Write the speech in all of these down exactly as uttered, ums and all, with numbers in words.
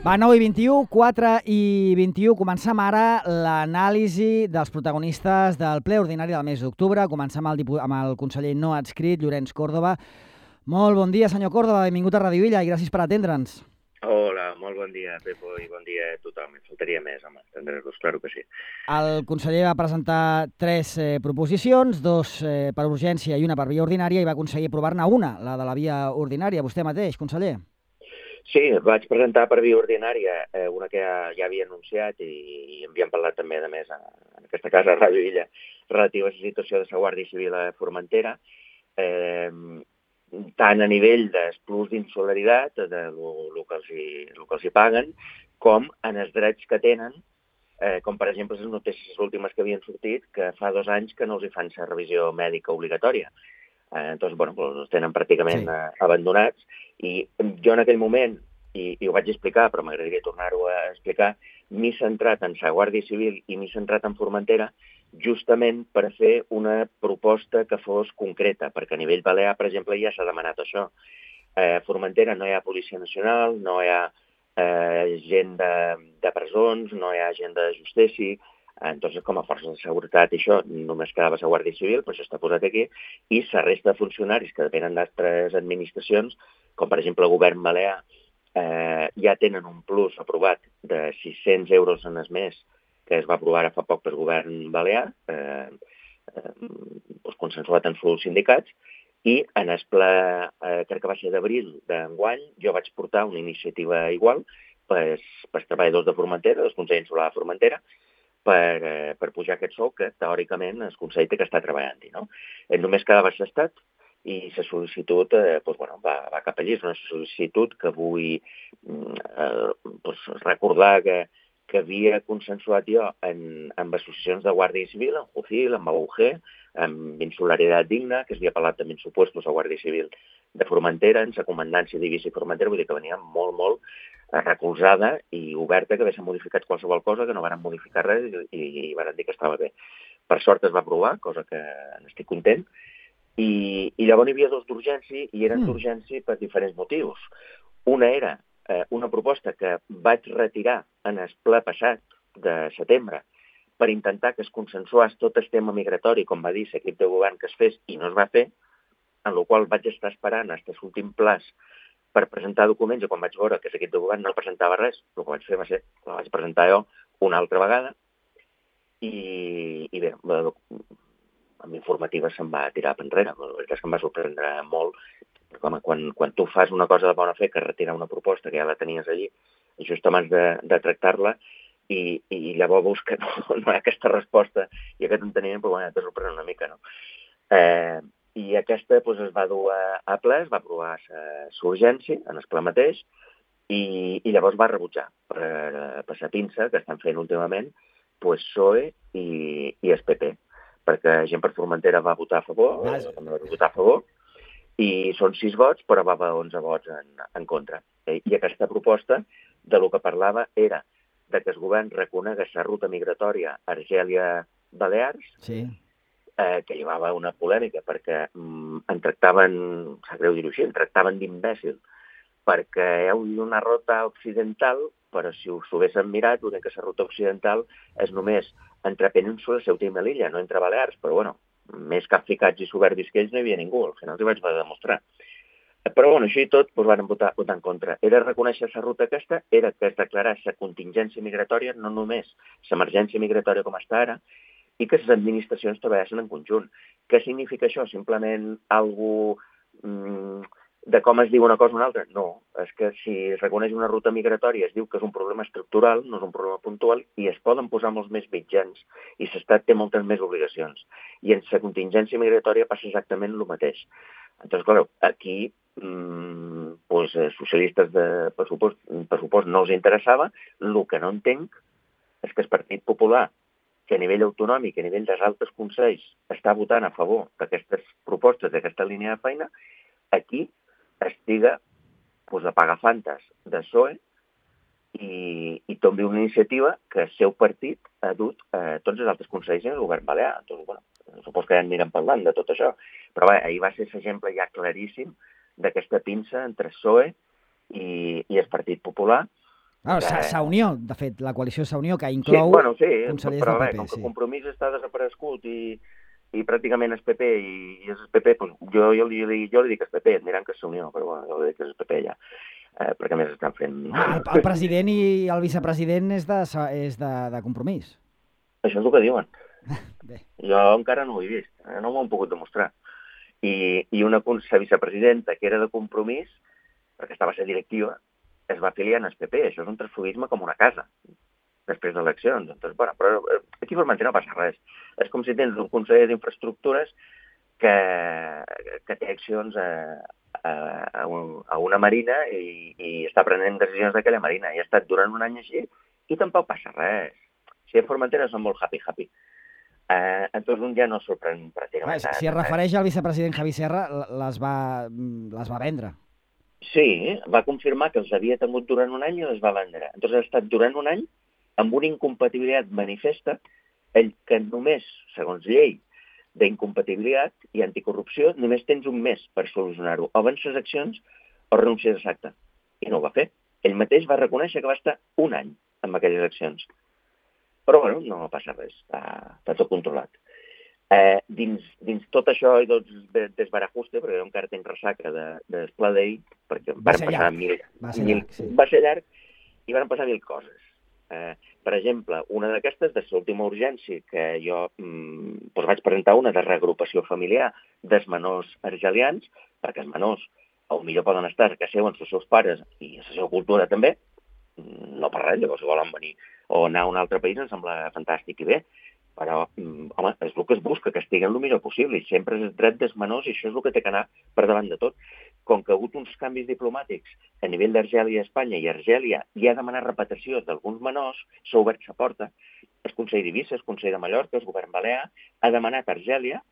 Va, nou i vint-i-u, quatre i vint-i-u. Comencem ara l'anàlisi dels protagonistes del ple ordinari del mes d'octubre. Comencem amb el, dipu... amb el conseller no adscrit, Llorenç Córdoba. Molt bon dia, senyor Córdoba. Benvingut a Ràdio Illa i gràcies per atendre'ns. Hola, molt bon dia, Pepo, i bon dia a tothom. Em faltaria més, home, atendre-los, claro que sí. El conseller va presentar tres eh, proposicions, dos eh, per urgència i una per via ordinària, i va aconseguir aprovar-ne una, la de la via ordinària. Vostè mateix, conseller. Sí, vaig presentar per via ordinària eh, una que ja, ja havia anunciat i, i havíem parlat també, a més, a, en aquesta casa, a Ràdio Illa, relativa a la situació de la Guàrdia Civil a Formentera, eh, tant a nivell dels plus d'insolidaritat, de lo que els hi, lo que els hi paguen, com en els drets que tenen, eh, com per exemple les notícies últimes que havien sortit, que fa dos anys que no els hi fan la revisió mèdica obligatòria. Eh, doncs, bueno, els tenen pràcticament sí. eh, abandonats, i jo en aquell moment, i, i ho vaig explicar, però m'agradaria tornar-ho a explicar, m'he centrat en la Guàrdia Civil i m'he centrat en Formentera justament per fer una proposta que fos concreta, perquè a nivell balear, per exemple, ja s'ha demanat això. A Formentera no hi ha Policia Nacional, no hi ha eh, gent de, de presons, no hi ha gent de justícia. Entonces, com a forces de seguretat i això, només quedava la Guàrdia Civil, però això està posat aquí, i la resta de funcionaris que depenen d'altres administracions, com per exemple el govern balear, eh, ja tenen un plus aprovat de sis-cents euros en el mes, que es va aprovar fa poc pel govern balear, eh, eh, doncs consensuat en els sindicats, i en el ple, eh, crec que va ser d'abril d'enguany, jo vaig portar una iniciativa igual pels, pels treballadors de Formentera, del Consell Insular de Formentera, per, eh, per pujar aquest sou que teòricament el Consell té que estar treballant-hi. No? Eh, només quedava l'estat i la sol·licitud eh, doncs, bueno, va, va cap allí. És una sol·licitud que vull eh, doncs, recordar que, que havia consensuat jo en, amb associacions de Guàrdia Civil, en Jucil, amb A U G, amb Insolidaritat Digna, que s'havia parlat també en supuestos a Guàrdia Civil de Formentera, en la comandància d'Eivissa i Formentera, vull dir que venia molt, molt recolzada i oberta, que haguessin modificat qualsevol cosa, que no van modificar res i, i van dir que estava bé. Per sort es va aprovar, cosa que n'estic content, i, i llavors hi havia dos d'urgència, i eren mm. d'urgència per diferents motius. Una era eh, una proposta que vaig retirar en el ple passat de setembre per intentar que es consensués tot el tema migratori, com va dir l'equip de govern que es fes, i no es va fer, en el qual vaig estar esperant fins a l'últim plaç per presentar documents, i quan vaig veure que l'equip de govern no presentava res, el que vaig fer va ser, la vaig presentar jo una altra vegada, i, i bé, amb informativa se'n va tirar per enrere. La veritat és que em va sorprendre molt, com quan, quan tu fas una cosa de bona fe, que retirar una proposta que ja la tenies allí, just abans de, de tractar-la, i, i llavors veus que no, no hi ha aquesta resposta i aquest enteniment, però bueno, te sorprèn una mica, no? Eh, I aquesta doncs, es va dur a, a ple, es va aprovar l'urgència en el ple mateix, i, i llavors va rebutjar per, per la pinça que estan fent últimament pues, P S O E i, i el P P, perquè gent per Formentera va votar a favor, també va votar a favor, i són sis vots, però va haver onze vots en, en contra. I aquesta proposta de lo que parlava era de que el govern reconegués la ruta migratòria Argèlia-Balears, sí. eh, que hi va haver una polèmica, perquè mm, en tractaven, sap greu dir-ho així, en tractaven d'imbècil, perquè hi ha una ruta occidental, però si us ho haguéssim mirat, veurem que la ruta occidental és només entre Península, Ceuta i Melilla, no entre Balears, però bueno, més capficats i soberbis que ells no hi havia ningú, al final els hi vaig haver de demostrar. Però bueno, així i tot doncs van votar, votar en contra. Era reconèixer la ruta aquesta, era que es declarés la contingència migratòria, no només l'emergència migratòria com està ara, i que les administracions treballessin en conjunt. Què significa això? Simplement algú mmm, de com es diu una cosa o una altra? No, és que si es reconeix una ruta migratòria es diu que és un problema estructural, no és un problema puntual, i es poden posar molts més mitjans, i l'Estat té moltes més obligacions. I en la contingència migratòria passa exactament el mateix. Entonces, clar, aquí mmm, pues, socialistes de pressupost, pressupost no els interessava. El que no entenc és que el Partit Popular, que a nivell autonòmic, a nivell dels altres consells, està votant a favor d'aquestes propostes, d'aquesta línia de feina, aquí estiga pues, a pagar fantes de P S O E i, i tombi una iniciativa que el seu partit ha dut a tots els altres consells en el govern balear. Entonces, bueno, supos que ja anirem parlant de tot això. Però bé, ahir va ser l'exemple ja claríssim d'aquesta pinça entre P S O E i, i el Partit Popular, Bueno, que... Sa-Unió, de fet, la coalició Sa-Unió, que inclou sí, bueno, sí, consellers però del bé, P P. com que Sí. Compromís està desaparegut i, i pràcticament és P P i, i és P P, doncs jo, jo, li, jo li dic que és P P, et diran que és Unió, però bueno, jo li dic que és P P ja, eh, perquè a més estan fent... Home, el, el president i el vicepresident és de, és de, de Compromís. Això és el que diuen. Bé. Jo encara no ho he vist, eh? No m'ho han pogut demostrar. I, i una vicepresidenta que era de Compromís, perquè estava a ser directiva, es va afiliar en el P P. Això és un transfugisme com una casa, després d'eleccions. Doncs, bueno, però aquí a Formentera no passa res. És com si tens un conseller d'infraestructures que, que té accions a, a, a una marina i, i està prenent decisions d'aquella marina. I ha estat durant un any així i tampoc passa res. Si a Formentera són molt happy-happy. Uh, entonces un ja no sorprèn pràcticament. Si, si es refereix al vicepresident Javi Serra, les va, les va vendre. Sí, va confirmar que els havia tingut durant un any i les va vendre. Entonces ha estat durant un any amb una incompatibilitat manifesta el que només, segons llei d'incompatibilitat i anticorrupció, només tens un mes per solucionar-ho. O vens les accions o renuncies a l'acte. I no ho va fer. Ell mateix va reconèixer que va estar un any amb aquelles accions. Però, bueno, no passa res, està, està tot controlat. Eh, dins, dins tot això i tot desbarajuste, perquè jo encara tenc ressaca de, de Pla d'ahir, perquè va van ser passar llarg. mil... Va ser mil llarg, sí. Va ser llarg i van passar mil coses. Eh, per exemple, una d'aquestes, de l'última urgència, que jo mm, doncs vaig presentar una de reagrupació familiar dels menors argelians, perquè els menors o millor poden estar que seuen els seus pares i la seva cultura també, no per res, llavors si volen venir o anar a un altre país em sembla fantàstic i bé, però, home, és el que es busca, que estiguen el millor possible, i sempre és el dret dels menors i això és el que té que anar per davant de tot. Com que ha hagut uns canvis diplomàtics a nivell d'Argèlia i Espanya, i Argèlia ja ha demanat repetició d'alguns menors, s'ha obert la porta, el Consell d'Eivissa, el Consell de Mallorca, el govern balear, ha demanat a Argèlia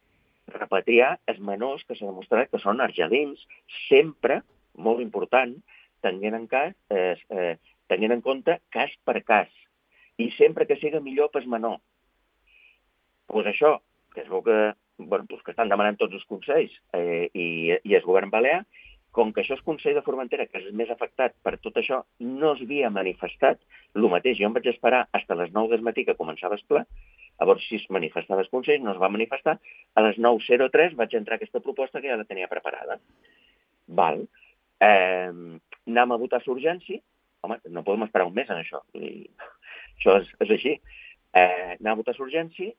repatriar els menors que s'ha demostrat que són argelins, sempre, molt important, tenint en, cas, eh, eh, tenint en compte cas per cas, i sempre que siga millor pel menor. Doncs això, que es veu que, bueno, doncs que estan demanant tots els consells eh, i, i el govern balear, com que això és Consell de Formentera, que és el més afectat per tot això, no es havia manifestat el mateix. Jo em vaig esperar fins a les nou del matí que començava el ple, llavors si es manifestava el Consell, no es va manifestar, a les nou zero tres vaig entrar aquesta proposta que ja la tenia preparada. Val. Eh, anem a votar l'urgència. Home, no podem esperar un mes en això. I això és, és així. Eh, anem a votar l'urgència,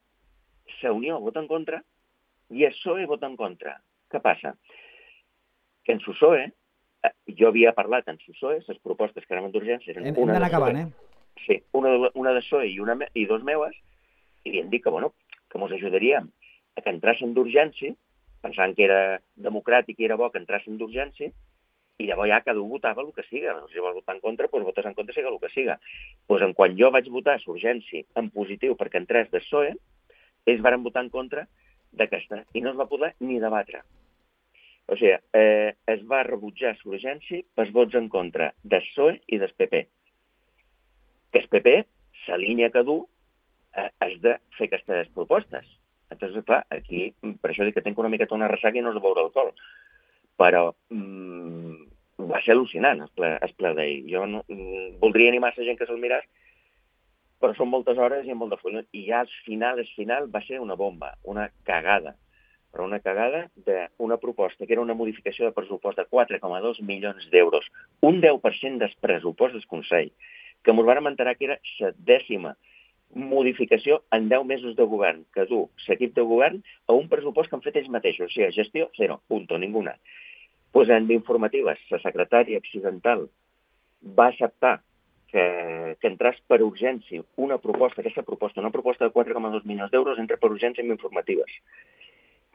la Unió vota en contra i el P S O E vota en contra. Què passa? Que en el P S O E, eh, jo havia parlat en el P S O E, les propostes que anaven d'urgència eren hem, una hem d'anar de P S O E, acabant, eh? Sí, una, una de P S O E i, una, i dos meues, i havien dit que, bueno, que ens ajudaríem a que entrassin d'urgència, pensant que era democràtic i era bo que entrassin d'urgència, i llavors ja cada un votava el que siga. Si vols votar en contra, doncs votes en contra, siga el que siga. Doncs en quan jo vaig votar l'urgència en positiu perquè entrés del P S O E, ells van votar en contra d'aquesta i no es va poder ni debatre. O sigui, eh, es va rebutjar l'urgència pels vots en contra del P S O E i del P P. Que el P P, la línia que du, eh, és de fer aquestes propostes. Entonces, clar, aquí, per això dic que tinc una miqueta una ressaca i no és de beure alcohol. Però mm, va ser al·lucinant el ple, el ple d'ahir. Jo no, mm, voldria animar la gent que se'l miràs, però són moltes hores i molt de full. I ja al final, al final, va ser una bomba, una cagada. Però una cagada d'una proposta que era una modificació de pressupost de quatre coma dos milions d'euros, un deu per cent del pressupost del Consell, que ens vam enterar que era la dècima modificació en deu mesos de govern, que du l'equip de govern a un pressupost que han fet ells mateixos. O sigui, gestió, zero, punto, ninguna. Pues en informatives, la secretària accidental va acceptar que, que entrés per urgència una proposta, aquesta proposta, una proposta de quatre coma dos milions d'euros, entra per urgència en informatives.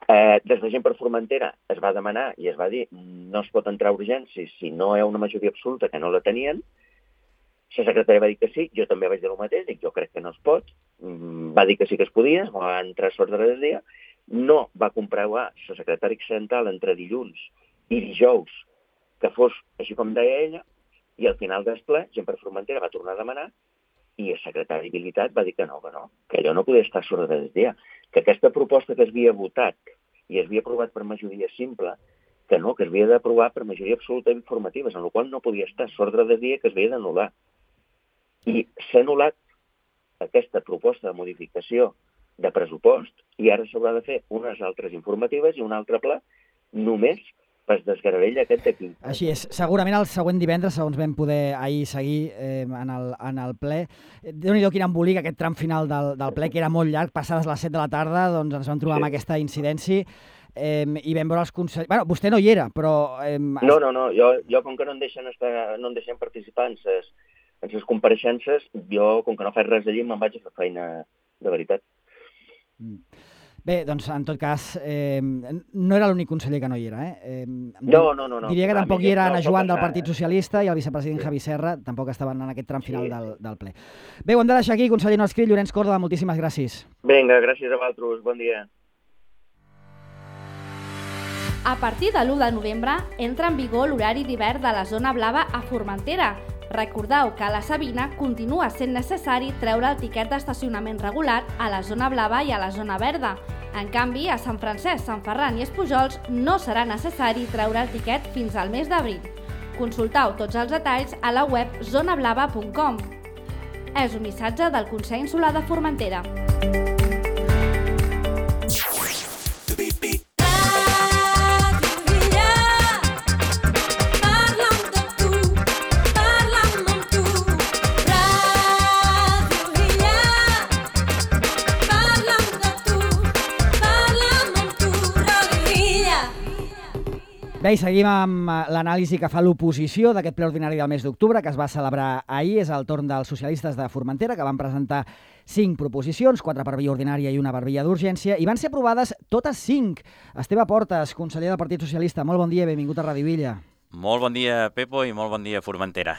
Eh, des de Gent per Formentera es va demanar i es va dir no es pot entrar a urgència si no hi ha una majoria absoluta, que no la tenien. La secretària va dir que sí, jo també vaig dir el mateix, dic, jo crec que no es pot. Va dir que sí que es podia, va entrar a l'ordre del dia. No va comprovar la secretària accidental entre dilluns i dijous que fos així com deia ella, i al final del ple, Gent per Formentera va tornar a demanar i el secretari d'Habilitat va dir que no, que no, que allò no podia estar a l'ordre del dia, que aquesta proposta que es havia votat i es havia aprovat per majoria simple, que no, que es havia d'aprovar per majoria absoluta informatives, en la qual no podia estar a l'ordre del dia, que es havia d'anul·lar. i s'ha anul·lat aquesta proposta de modificació de pressupost i ara s'haurà de fer unes altres informatives i un altre pla només per desgravell aquest d'aquí. Així és. Segurament el següent divendres, segons vam poder ahir seguir eh, en, el, en el ple, Déu-n'hi-do quin embolic aquest tram final del, del ple, que era molt llarg, passades les set de la tarda, doncs ens vam trobar sí. amb aquesta incidència eh, i vam veure els consellers... Bueno, vostè no hi era, però... Eh, no, no, no. Jo, jo com que no em deixen, estar, no em deixen participar en ses, en ses compareixences, jo, com que no faig res allí, me'n vaig a fer feina de veritat. Mm. Bé, doncs, en tot cas, eh, no era l'únic conseller que no hi era. Eh? Eh, no, no, no, no. Diria que Clar, tampoc hi era no, Anna Joan del Partit Socialista i el vicepresident sí. Javi Serra, tampoc estaven en aquest tram final sí. del, del ple. Bé, ho hem de deixar aquí, conseller no escrit, Llorenç Córdoba, moltíssimes gràcies. Vinga, gràcies a vosaltres, bon dia. A partir de l'u de novembre entra en vigor l'horari d'hivern de la zona blava a Formentera. Recordeu que a la Sabina continua sent necessari treure el tiquet d'estacionament regular a la zona blava i a la zona verda. En canvi, a Sant Francesc, Sant Ferran i Espujols no serà necessari treure el tiquet fins al mes d'abril. Consulteu tots els detalls a la web zona blava punt com. És un missatge del Consell Insular de Formentera. Bé, i seguim amb l'anàlisi que fa l'oposició d'aquest ple ordinari del mes d'octubre, que es va celebrar ahir. És el torn dels socialistes de Formentera, que van presentar cinc proposicions, quatre per via ordinària i una per via d'urgència, i van ser aprovades totes cinc. Esteve Portes, conseller del Partit Socialista, molt bon dia, benvingut a Ràdio Villa. Molt bon dia, Pepo, i molt bon dia, Formentera.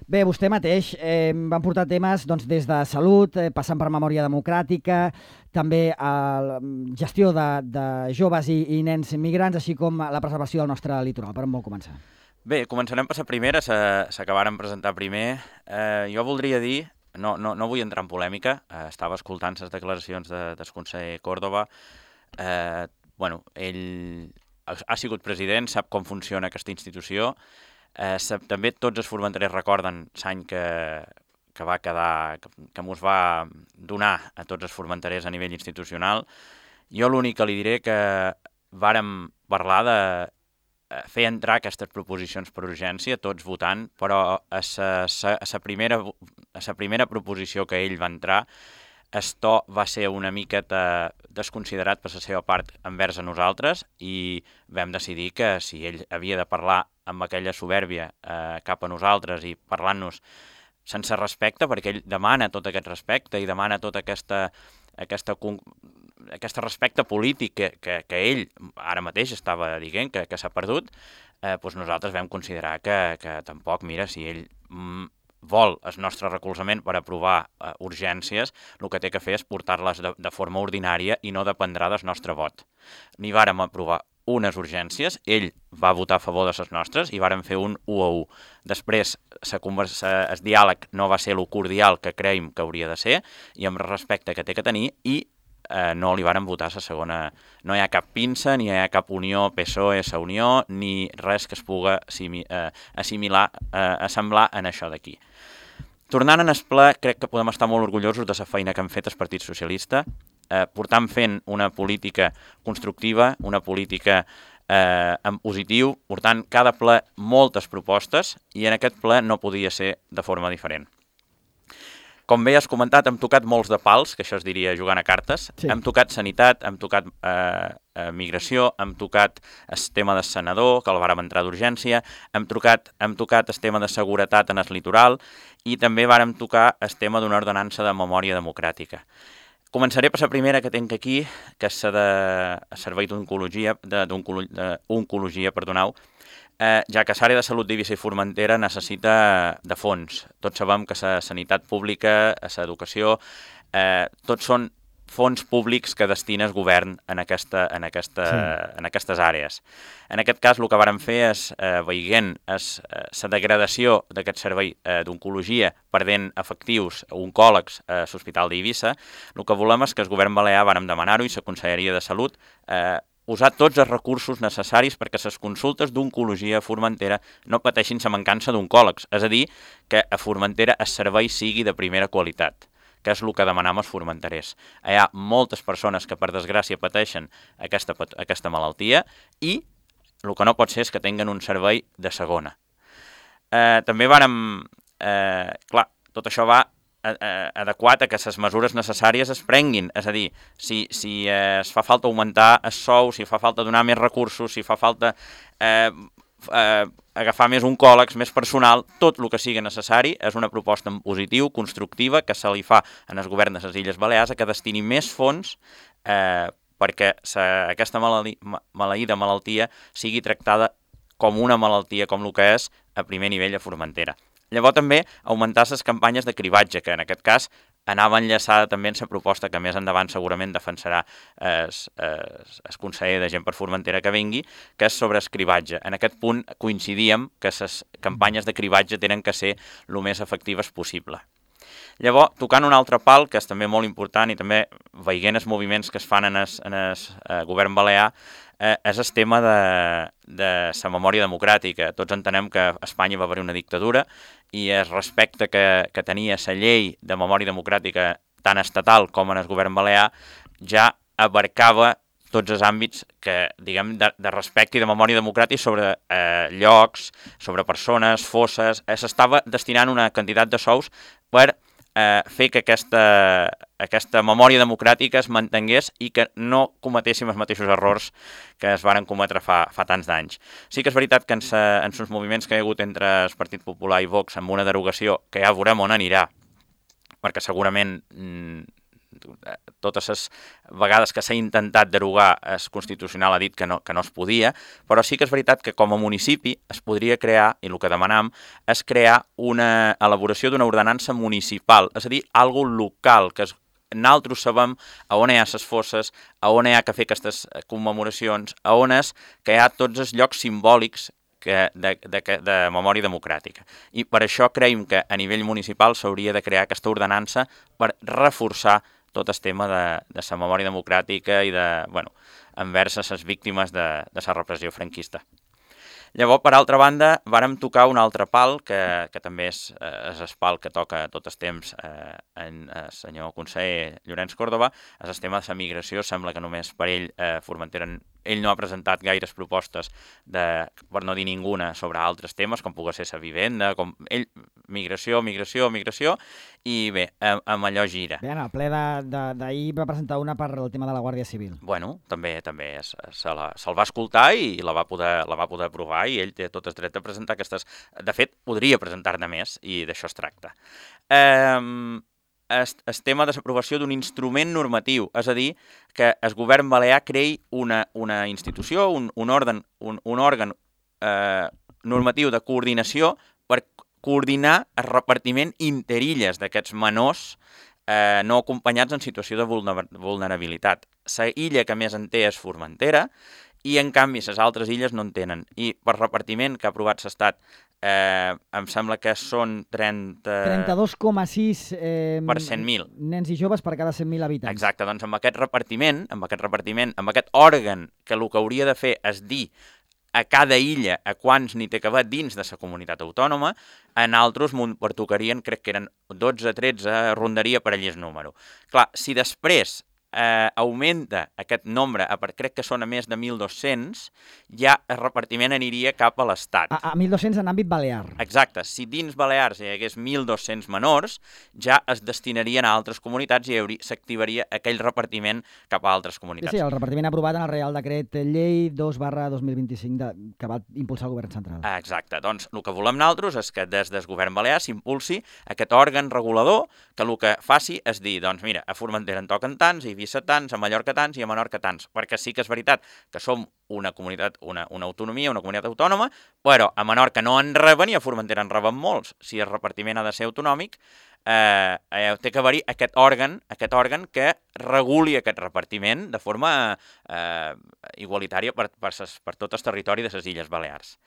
Bé, vostè mateix eh, van portar temes doncs, des de salut, eh, passant per memòria democràtica, també a la gestió de, de joves i, i nens migrants, així com la preservació del nostre litoral. Per on vol començar? Bé, començarem per la primera, s'acabaran presentar primer. Eh, jo voldria dir, no, no, no vull entrar en polèmica, eh, estava escoltant les declaracions de, del conseller Córdoba. Eh, bueno, ell ha sigut president, sap com funciona aquesta institució. Eh, sap, també tots els formenterers recorden l'any que, que va quedar, que, que mos va donar a tots els formenterers a nivell institucional. Jo l'únic que li diré que vàrem parlar de fer entrar aquestes proposicions per urgència, tots votant, però a la primera, a la primera proposició que ell va entrar, el to va ser una miqueta desconsiderat per la seva part envers a nosaltres i vam decidir que si ell havia de parlar amb aquella supèrbia eh, cap a nosaltres i parlant-nos sense respecte, perquè ell demana tot aquest respecte i demana tot aquesta, aquesta, aquesta respecte polític que, que, que ell ara mateix estava dient que, que s'ha perdut, eh, doncs nosaltres vam considerar que, que tampoc, mira, si ell mm, vol el nostre recolzament per aprovar eh, urgències, el que té que fer és portar-les de, de forma ordinària i no dependrà del nostre vot. Ni vàrem aprovar unes urgències, ell va votar a favor de les nostres i vàrem fer un u a u. Després, sa conversa, el diàleg no va ser el cordial que creiem que hauria de ser i amb el respecte que té que tenir i eh, no li vàrem votar la segona. No hi ha cap pinça, ni hi ha cap unió P S O E, sa unió, ni res que es puga eh, assimilar, eh, assemblar en això d'aquí. Tornant en el ple, crec que podem estar molt orgullosos de la feina que han fet el Partit Socialista, eh, portant fent una política constructiva, una política eh, en positiu, portant cada ple moltes propostes i en aquest ple no podia ser de forma diferent. Com bé has comentat, hem tocat molts de pals, que això es diria jugant a cartes. Sí. Hem tocat sanitat, hem tocat eh, eh, migració, hem tocat el tema del senador, que el vàrem entrar d'urgència, hem tocat, hem tocat el tema de seguretat en el litoral i també vàrem tocar el tema d'una ordenança de memòria democràtica. Començaré per la primera que tinc aquí, que és la de servei d'oncologia, d'oncologia, perdoneu, Eh, ja que l'àrea de salut d'Eivissa i Formentera necessita de fons. Tots sabem que la sanitat pública, l'educació, eh, tots són fons públics que destina el govern en, aquesta, en, aquesta, sí. en aquestes àrees. En aquest cas, el que vàrem fer és, eh, veient la degradació d'aquest servei eh, d'oncologia perdent efectius oncòlegs a l'Hospital d'Eivissa, el que volem és que el govern balear vàrem demanar-ho i la Conselleria de Salut eh, usar tots els recursos necessaris perquè les consultes d'oncologia a Formentera no pateixin la mancança d'oncòlegs, és a dir, que a Formentera el servei sigui de primera qualitat, que és el que demanam els formenterers. Hi ha moltes persones que, per desgràcia, pateixen aquesta, aquesta malaltia i el que no pot ser és que tinguen un servei de segona. Eh, també vàrem... Eh, clar, tot això va eh, adequat a que les mesures necessàries es prenguin. És a dir, si, si eh, es fa falta augmentar el sou, si fa falta donar més recursos, si fa falta eh, eh, agafar més oncòlegs, més personal, tot el que sigui necessari és una proposta en positiu, constructiva, que se li fa en el govern de les Illes Balears a que destini més fons eh, perquè sa, aquesta maleïda malaltia sigui tractada com una malaltia, com el que és a primer nivell a Formentera. Llavors també augmentar les campanyes de cribatge, que en aquest cas anava enllaçada també en la proposta que més endavant segurament defensarà el, el, el conseller de Gent per Formentera que vingui, que és sobre el cribatge. En aquest punt coincidíem que les campanyes de cribatge tenen que ser el més efectives possible. Llavors, tocant un altre pal, que és també molt important, i també veient els moviments que es fan en el, en el eh, govern balear, eh, és el tema de, de la memòria democràtica. Tots entenem que a Espanya va haver una dictadura i el respecte que, que tenia la llei de memòria democràtica tant estatal com en el govern balear ja abarcava tots els àmbits que, diguem, de, de respecte i de memòria democràtica sobre eh, llocs, sobre persones, fosses. Eh, S'estava destinant una quantitat de sous per eh, fer que aquesta, aquesta memòria democràtica es mantingués i que no cometéssim els mateixos errors que es varen cometre fa, fa tants d'anys. Sí que és veritat que en els moviments que hi ha hagut entre el Partit Popular i Vox amb una derogació, que ja veurem on anirà, perquè segurament mm, totes les vegades que s'ha intentat derogar el Constitucional ha dit que no, que no es podia, però sí que és veritat que com a municipi es podria crear, i el que demanam, és crear una elaboració d'una ordenança municipal, és a dir, algo local, que és, nosaltres sabem a on hi ha les fosses, a on hi ha que fer aquestes commemoracions, a on és que hi ha tots els llocs simbòlics que de, de, de memòria democràtica. I per això creiem que a nivell municipal s'hauria de crear aquesta ordenança per reforçar tot el tema de, de la memòria democràtica i de, bueno, envers les víctimes de, de la repressió franquista. Llavors, per altra banda, vàrem tocar un altre pal, que, que també és, és el pal que toca tot el temps eh, en el senyor conseller Llorenç Córdoba, és el tema de la migració. Sembla que només per ell, eh, Formentera, ell no ha presentat gaires propostes, de, per no dir ninguna, sobre altres temes, com pugui ser la vivenda, com ell, migració, migració, migració, i bé, amb allò gira. Bé, en el ple d'ahir va presentar una per el tema de la Guàrdia Civil. Bueno, també també se'l se va escoltar i la va, poder, la va poder aprovar i ell té tot el dret de presentar aquestes... De fet, podria presentar-ne més i d'això es tracta. Eh, el, el tema de l'aprovació d'un instrument normatiu, és a dir, que el govern balear creï una, una institució, un, un òrgan, un, un òrgan eh, normatiu de coordinació per coordinar el repartiment interilles d'aquests menors eh, no acompanyats en situació de vulnerabilitat. La illa que més en té és Formentera i, en canvi, les altres illes no en tenen. I per repartiment que ha aprovat l'Estat, eh, em sembla que són trenta... trenta-dos coma sis eh, per cent mil. Nens i joves per cada cent mil habitants. Exacte, doncs amb aquest repartiment, amb aquest repartiment, amb aquest òrgan que el que hauria de fer és dir a cada illa a quants n'hi té que haver dins de la comunitat autònoma, en altres m'ho pertocarien, crec que eren dotze, tretze, rondaria per allí el número. Clar, si després eh, augmenta aquest nombre, a, crec que són a més de mil dos-cents, ja el repartiment aniria cap a l'Estat. A, a mil dos-cents en àmbit balear. Exacte. Si dins Balears hi hagués mil dos-cents menors, ja es destinarien a altres comunitats i s'activaria aquell repartiment cap a altres comunitats. Sí, sí, el repartiment aprovat en el Real Decret Llei dos barra dos mil vint-i-cinc de, que va impulsar el govern central. Exacte. Doncs el que volem nosaltres és que des del govern balear s'impulsi aquest òrgan regulador que el que faci és dir, doncs mira, a Formentera en toquen tants, i Eivissa tants, a Mallorca tants i a Menorca tants, perquè sí que és veritat que som una comunitat, una, una autonomia, una comunitat autònoma, però a Menorca no en reben i a Formentera en reben molts. Si el repartiment ha de ser autonòmic, eh, eh, té que haver-hi aquest òrgan, aquest òrgan que reguli aquest repartiment de forma eh, igualitària per, per, ses, per tot el territori de les Illes Balears.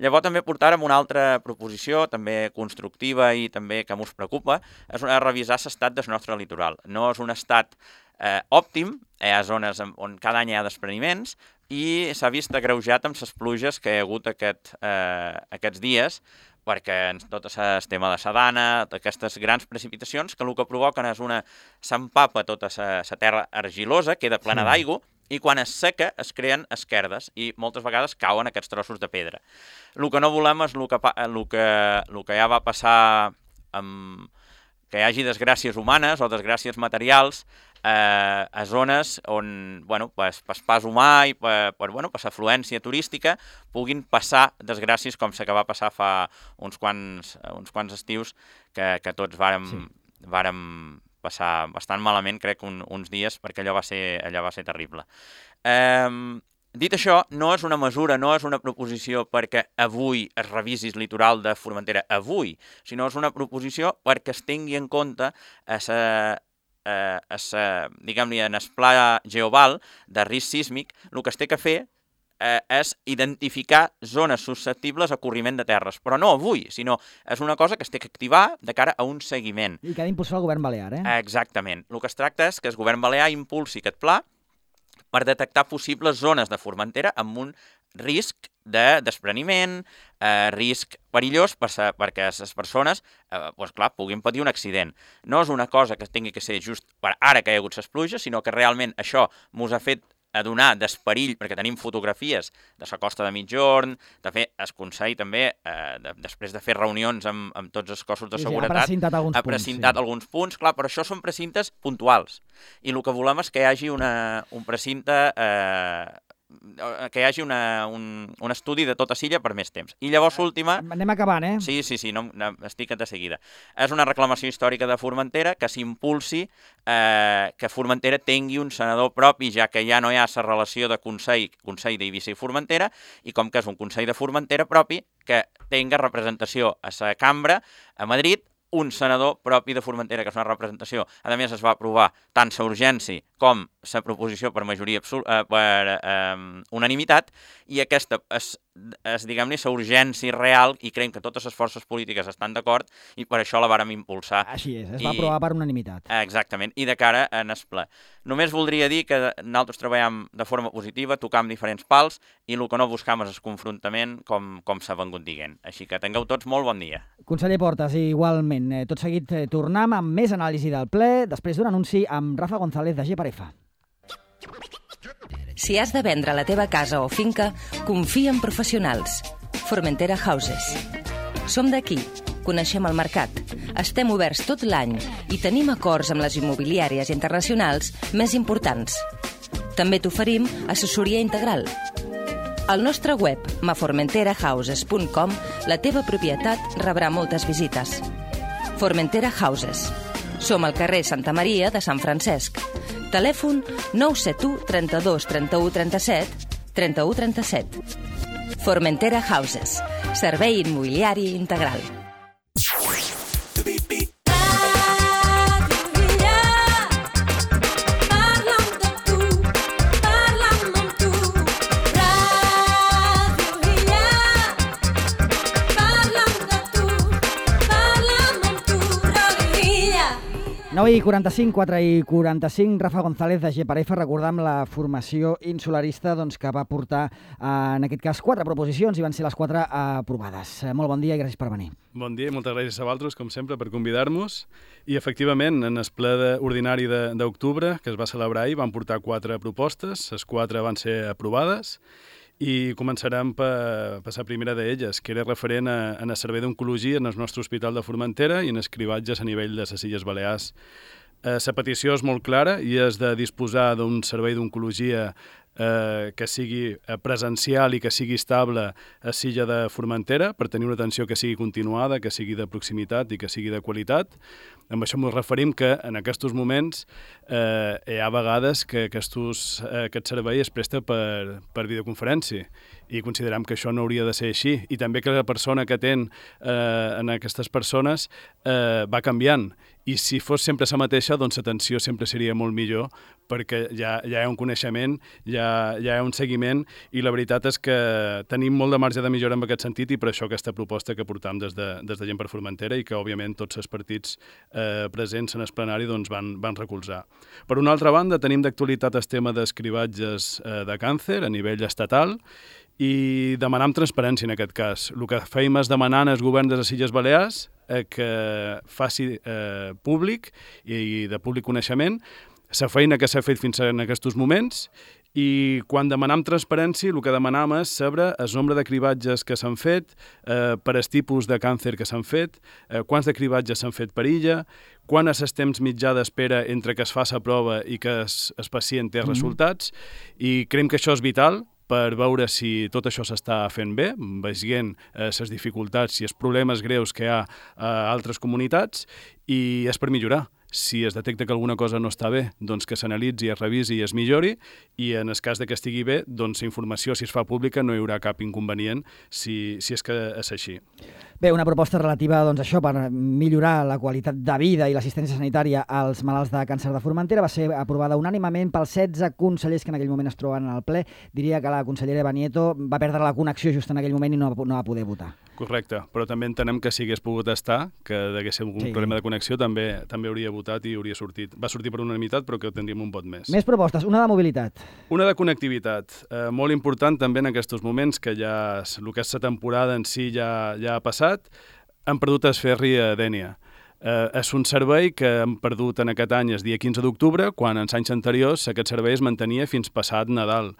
Llavors també portàrem una altra proposició, també constructiva i també que mos preocupa, és revisar l'estat del nostre litoral. No és un estat eh, òptim, hi ha zones on cada any hi ha despreniments i s'ha vist agreujat amb les pluges que hi ha hagut aquest, eh, aquests dies, perquè tot el tema de la dana, aquestes grans precipitacions, que el que provoquen és una... s'empapa tota la terra argilosa, queda plena sí. d'aigua, i quan es seca es creen esquerdes i moltes vegades cauen aquests trossos de pedra. El que no volem és el que, el que, el que ja va passar amb que hi hagi desgràcies humanes o desgràcies materials eh, a zones on, bueno, per, per pas humà i per, per, bueno, per afluència turística puguin passar desgràcies com la que va passar fa uns quants, uns quants estius que, que tots vàrem, sí. vàrem passar bastant malament, crec, un, uns dies, perquè allò va ser, allò va ser terrible. Eh, dit això, no és una mesura, no és una proposició perquè avui es revisi el litoral de Formentera, avui, sinó és una proposició perquè es tingui en compte a sa, a, a sa, diguem-li, en el pla geoval de risc sísmic, el que es té que fer eh, és identificar zones susceptibles a corriment de terres, però no avui, sinó és una cosa que es té que activar de cara a un seguiment. I que ha d'impulsar el govern balear, eh? Exactament. El que es tracta és que el govern balear impulsi aquest pla per detectar possibles zones de Formentera amb un risc de despreniment, eh, risc perillós per sa, perquè les persones eh, pues clar, puguin patir un accident. No és una cosa que tingui que ser just per ara que hi ha hagut les pluges, sinó que realment això mos ha fet a donar d'esperill, perquè tenim fotografies de la costa de Migjorn, de fer el Consell també, eh, de, després de fer reunions amb, amb tots els cossos de sí, seguretat, sí, ha precintat alguns ha precintat punts, sí. alguns punts, clar, però això són precintes puntuals. I el que volem és que hi hagi una, un precinte eh, que hi hagi una, un, un estudi de tota Silla per més temps. I llavors l'última... Anem acabant, eh? Sí, sí, sí, no, no, estic de seguida. És una reclamació històrica de Formentera que s'impulsi eh, que Formentera tingui un senador propi, ja que ja no hi ha la relació de Consell, Consell d'Eivissa i Formentera, i com que és un Consell de Formentera propi, que tinga representació a la cambra a Madrid, un senador propi de Formentera, que és una representació. A més, es va aprovar tant la urgència com la proposició per majoria absoluta, eh, per eh, unanimitat, i aquesta és, és diguem-ne, la urgència real, i creiem que totes les forces polítiques estan d'acord, i per això la vàrem impulsar. Així és, es I... va aprovar per unanimitat. Exactament, i de cara en el ple. Només voldria dir que nosaltres treballem de forma positiva, tocam diferents pals, i el que no buscam és el confrontament com, com s'ha vengut dient. Així que tingueu tots molt bon dia. Conseller Portas, igualment. Tot seguit eh, tornem amb més anàlisi del ple, després d'un anunci amb Rafa González de G per F. Si has de vendre la teva casa o finca, confia en professionals. Formentera Houses. Som d'aquí, coneixem el mercat, estem oberts tot l'any i tenim acords amb les immobiliàries internacionals més importants. També t'oferim assessoria integral. Al nostre web, ma formentera houses punt com, la teva propietat rebrà moltes visites. Formentera Houses. Som al carrer Santa Maria de Sant Francesc. Telèfon nou set u, trenta-dos, trenta-u, trenta-set, trenta-u, trenta-set. Formentera Houses. Servei immobiliari integral. nou i quaranta-cinc, quatre i quaranta-cinc, Rafa González de G per F, recordam la formació insularista doncs, que va portar, eh, en aquest cas, quatre proposicions i van ser les quatre aprovades. Molt bon dia i gràcies per venir. Bon dia i moltes gràcies a vosaltres, com sempre, per convidar-nos. I, efectivament, en el ple de, ordinari d'octubre, que es va celebrar ahir, van portar quatre propostes, les quatre van ser aprovades, i començarem per, per la primera d'elles, que era referent a, a el servei d'oncologia en el nostre hospital de Formentera i en els cribatges a nivell de les Illes Balears. La eh, petició és molt clara i és de disposar d'un servei d'oncologia eh, que sigui presencial i que sigui estable a Silla de Formentera per tenir una atenció que sigui continuada, que sigui de proximitat i que sigui de qualitat. Amb això ens referim que en aquests moments eh, hi ha vegades que aquestos, eh, aquest servei es presta per, per videoconferència i considerem que això no hauria de ser així, i també que la persona que atén eh, en aquestes persones eh, va canviant, i si fos sempre la mateixa, doncs l'atenció sempre seria molt millor, perquè ja, ja hi ha un coneixement, ja, ja hi ha un seguiment, i la veritat és que tenim molt de marge de millora en aquest sentit, i per això aquesta proposta que portam des de, des de Gent per Formentera, i que òbviament tots els partits eh, presents en el plenari doncs, van, van recolzar. Per una altra banda, tenim d'actualitat el tema d'escrivatges eh, de càncer a nivell estatal, i demanem transparència en aquest cas. El que feim és demanar als governs de les Illes Balears eh, que faci eh, públic i de públic coneixement la feina que s'ha fet fins en aquests moments, i quan demanam transparència el que demanam és saber el nombre de cribatges que s'han fet, eh, per el tipus de càncer que s'han fet, eh, quants de cribatges s'han fet per illa, quan és el temps mitjà d'espera entre que es fa la prova i que el, el pacient té mm-hmm. resultats, i creiem que això és vital per veure si tot això s'està fent bé, veient les eh, dificultats i els problemes greus que hi ha a altres comunitats, i és per millorar. Si es detecta que alguna cosa no està bé, doncs que s'analitzi, es revisi i es millori, i en el cas de que estigui bé, doncs la informació, si es fa pública, no hi haurà cap inconvenient si, si és que és així. Bé, una proposta relativa doncs, a això per millorar la qualitat de vida i l'assistència sanitària als malalts de càncer de Formentera va ser aprovada unànimement pels setze consellers que en aquell moment es troben en el ple. Diria que la consellera Banieto va perdre la connexió just en aquell moment i no, no va poder votar. Correcte, però també entenem que si hagués pogut estar, que hagués algun sí. problema de connexió, també també hauria votat i hauria sortit. Va sortir per unanimitat, però que tindríem un vot més. Més propostes, una de mobilitat. Una de connectivitat, eh, molt important també en aquests moments, que ja el que és la temporada en si ja, ja ha passat, hem perdut el ferri a Dénia. Eh, és un servei que hem perdut en aquest any el dia quinze d'octubre, quan en anys anteriors aquest servei es mantenia fins passat Nadal.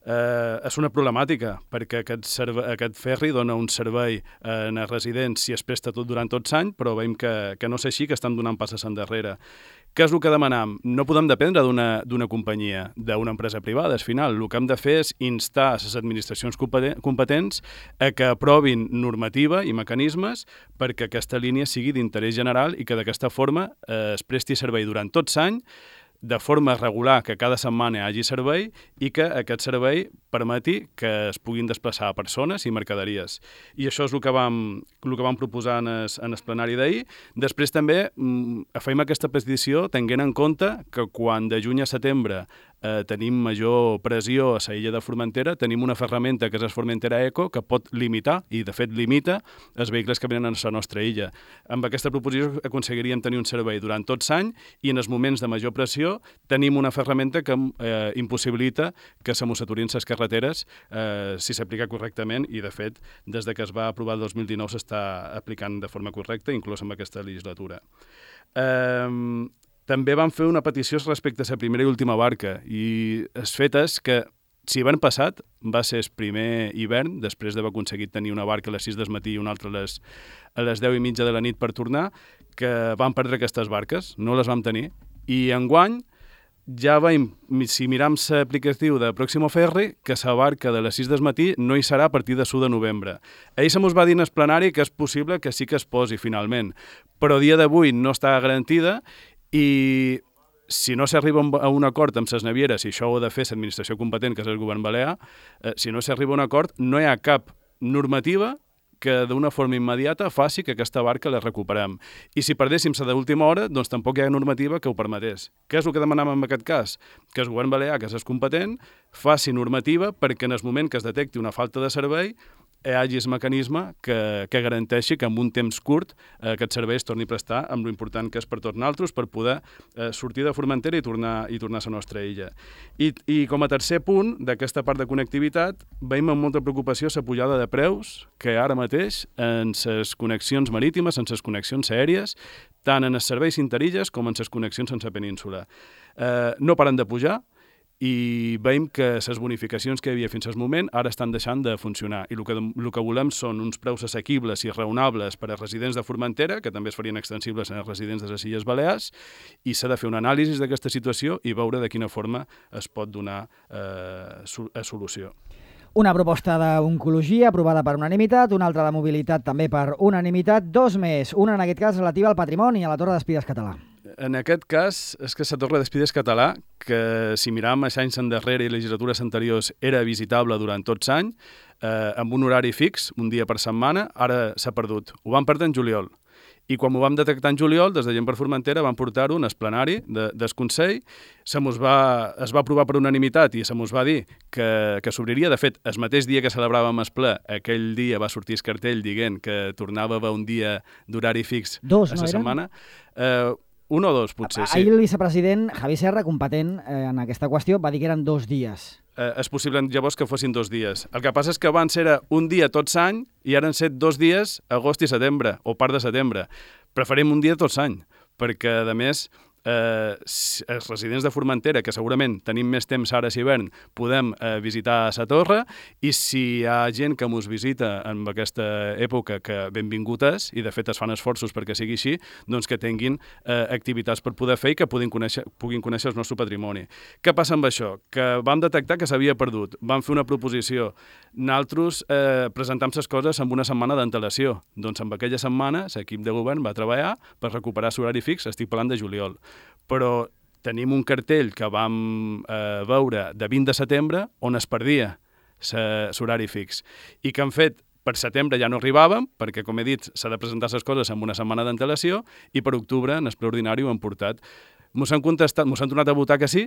Eh, és una problemàtica, perquè aquest, serve, aquest ferri dona un servei eh, en els residents si es presta tot durant tots l'any, però veiem que, que no és així, que estan donant passes endarrere. Què és el que demanam? No podem dependre d'una companyia, d'una empresa privada. Al final, el que hem de fer és instar les administracions competents a que aprovin normativa i mecanismes perquè aquesta línia sigui d'interès general i que d'aquesta forma eh, es presti servei durant tot l'any, de forma regular, que cada setmana hi hagi servei i que aquest servei permeti que es puguin desplaçar persones i mercaderies. I això és el que vam, el que vam proposar en el, en el plenari d'ahir. Després també mm, afeim aquesta petició tenint en compte que quan de juny a setembre eh, tenim major pressió a la illa de Formentera, tenim una ferramenta que és el Formentera Eco que pot limitar, i de fet limita, els vehicles que venen a la nostra illa. Amb aquesta proposició aconseguiríem tenir un servei durant tot l'any i en els moments de major pressió tenim una ferramenta que eh, impossibilita que se mos aturin les carreteres eh, si s'aplica correctament, i de fet des de que es va aprovar el dos mil dinou s'està aplicant de forma correcta, inclús en aquesta legislatura. Eh, també vam fer una petició respecte a la primera i última barca, i el fet és que si hivern passat va ser el primer hivern, després d'haver aconseguit tenir una barca a les sis del matí i una altra a les, a les deu i mitja de la nit per tornar, que vam perdre aquestes barques, no les vam tenir, i enguany ja veiem, si miram l'aplicatiu de Pròximo Ferri, que la barca de les sis del matí no hi serà a partir de l'u de novembre. Ell se mos va dir en el plenari que és possible que sí que es posi finalment, però a dia d'avui no està garantida, i si no s'arriba a un acord amb les navieres, i això ho ha de fer l'administració competent, que és el govern balear, eh, si no s'arriba a un acord, no hi ha cap normativa que d'una forma immediata faci que aquesta barca la recuperem. I si perdéssim la d'última hora, doncs tampoc hi ha normativa que ho permetés. Què és el que demanam en aquest cas? Que el govern balear, que és competent, faci normativa perquè en el moment que es detecti una falta de servei hi hagi el mecanisme que, que garanteixi que en un temps curt eh, aquest servei es torni a prestar, amb l'important que és per tots nosaltres, per poder eh, sortir de Formentera i tornar, i tornar a la nostra illa. I, I com a tercer punt d'aquesta part de connectivitat, veiem amb molta preocupació la pujada de preus que ara mateix en les connexions marítimes, en les connexions aèries, tant en els serveis interilles com en les connexions sense península. Eh, no paren de pujar, i veiem que les bonificacions que hi havia fins al moment ara estan deixant de funcionar, i el que, el que volem són uns preus assequibles i raonables per a residents de Formentera, que també es farien extensibles als residents de les Illes Balears, i s'ha de fer una anàlisi d'aquesta situació i veure de quina forma es pot donar eh, a solució. Una proposta d'oncologia aprovada per unanimitat, una altra de mobilitat també per unanimitat, dos més, una en aquest cas relativa al patrimoni, a la Torre d'Espides Català. En aquest cas, és que la Torre d'Espides Català, que si miram els anys endarrere i legislatures anteriors era visitable durant tots l'any, eh, amb un horari fix, un dia per setmana, ara s'ha perdut. Ho vam perdre en juliol. I quan ho vam detectar en juliol, des de Gent per Formentera vam portar-ho en el plenari de, del Consell, se mos va, es va aprovar per unanimitat i se mos va dir que, que s'obriria. De fet, el mateix dia que celebràvem el ple, aquell dia va sortir el cartell dient que tornava a haver un dia d'horari fix dos, a la no setmana. Eh, un o dos, potser, sí. Ahir el vicepresident Javi Serra, competent eh, en aquesta qüestió, va dir que eren dos dies. Eh, és possible llavors que fossin dos dies. El que passa és que abans era un dia tot l'any i ara han set dos dies, agost i setembre, o part de setembre. Preferim un dia tot l'any, perquè, a més, eh, els residents de Formentera, que segurament tenim més temps ara a hivern, podem eh, visitar la torre, i si hi ha gent que mos visita en aquesta època, que benvingut és, i de fet es fan esforços perquè sigui així, doncs que tinguin eh, activitats per poder fer i que puguin conèixer, puguin conèixer el nostre patrimoni. Què passa amb això? Que vam detectar que s'havia perdut, vam fer una proposició. Nosaltres eh, presentam les coses amb una setmana d'antelació. Doncs amb aquella setmana l'equip de govern va treballar per recuperar l'horari fix, estic parlant de juliol. Però tenim un cartell que vam eh, veure de vint de setembre on es perdia l'horari fix i que han fet per setembre ja no arribàvem, perquè, com he dit, s'ha de presentar les coses amb una setmana d'antelació i per octubre, en el ple ordinari, ho han portat. Mos han contestat, mos han tornat a votar que sí.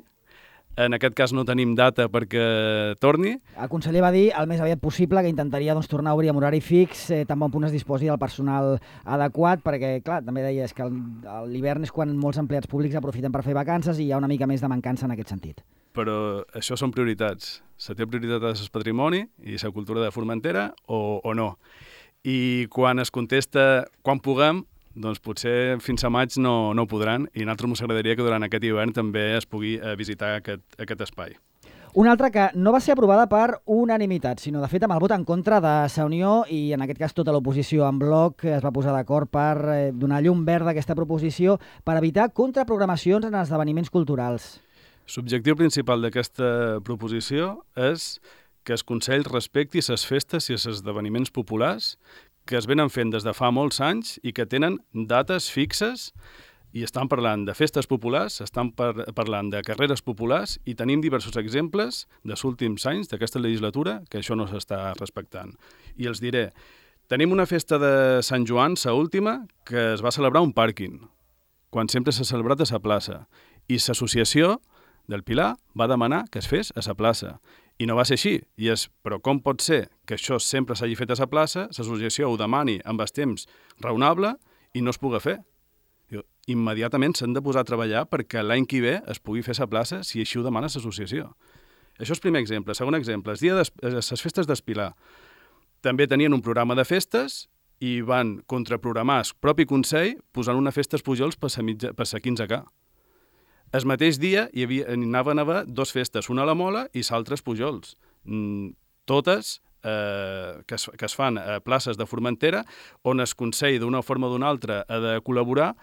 En aquest cas no tenim data perquè torni. El conseller va dir el més aviat possible que intentaria doncs, tornar a obrir amb horari fix, eh, tan bon punt es disposi del personal adequat, perquè, clar, també deies que l'hivern és quan molts empleats públics aprofiten per fer vacances i hi ha una mica més de mancança en aquest sentit. Però això són prioritats. Se té prioritat al patrimoni i la cultura de Formentera o, o no. I quan es contesta quan puguem, doncs potser fins a maig no, no podran, i a nosaltres ens agradaria que durant aquest hivern també es pugui eh, visitar aquest, aquest espai. Una altra que no va ser aprovada per unanimitat, sinó de fet amb el vot en contra de Sa Unió i en aquest cas tota l'oposició en bloc es va posar d'acord per eh, donar llum verda a aquesta proposició per evitar contraprogramacions en esdeveniments culturals. L'objectiu principal d'aquesta proposició és que el Consell respecti les festes i els esdeveniments populars que es venen fent des de fa molts anys i que tenen dates fixes i estan parlant de festes populars, estan par parlant de carreres populars i tenim diversos exemples dels últims anys d'aquesta legislatura que això no s'està respectant. I els diré, tenim una festa de Sant Joan, la última, que es va celebrar a un pàrquing, quan sempre s'ha celebrat a la plaça. I l'associació del Pilar va demanar que es fes a la plaça. I no va ser així. I és, però com pot ser que això sempre s'hagi fet a la plaça, l'associació ho demani amb el temps raonable i no es pugui fer? Immediatament s'han de posar a treballar perquè l'any que ve es pugui fer a la plaça si així ho demana l'associació. Això és primer exemple. Segon exemple, les festes d'Espilar. També tenien un programa de festes i van contraprogramar el propi Consell posant una festa als Pujols per la quinze K. El mateix dia hi havia, anaven a haver dues festes, una a la Mola i l'altra als Pujols. Mm, totes eh, que, es, que es fan a places de Formentera, on el Consell d'una forma o d'una altra ha de col·laborar